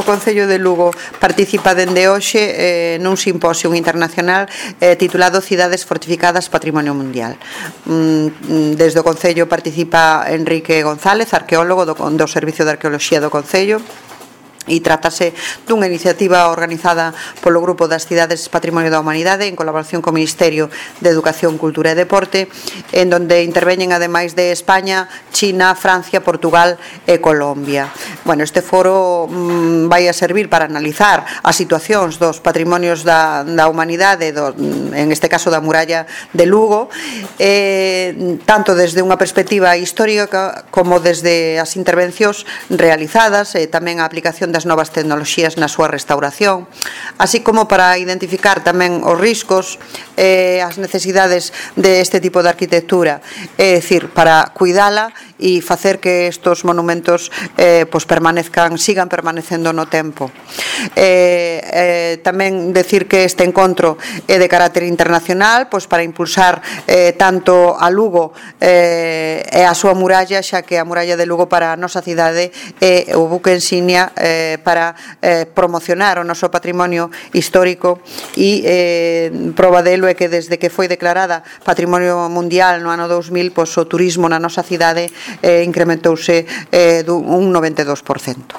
Concello de Lugo participa dende hoxe nun simposio internacional titulado Cidades fortificadas Patrimonio Mundial. Desde o Concello participa Enrique González, arqueólogo do Servicio de Arqueoloxía do Concello, e trátase dunha iniciativa organizada polo Grupo das Cidades Patrimonio da Humanidade en colaboración co Ministerio de Educación, Cultura e Deporte, en donde interveñen ademais de España, China, Francia, Portugal e Colombia. Bueno, este foro vai a servir para analizar as situacións dos patrimonios da humanidade, en este caso da muralla de Lugo, tanto desde unha perspectiva histórica como desde as intervencións realizadas e tamén a aplicación das novas tecnoloxías na súa restauración, así como para identificar tamén os riscos e as necesidades deste tipo de arquitectura, é dicir, para cuidala e facer que estos monumentos sigan permanecendo no tempo. Tamén decir que este encontro é de carácter internacional, para impulsar tanto a Lugo e a súa muralla, xa que a muralla de Lugo para a nosa cidade é o buque insignia para promocionar o noso patrimonio histórico, e proba delo é que desde que foi declarada Patrimonio Mundial no ano 2000, o turismo na nosa cidade incrementouse un 92%.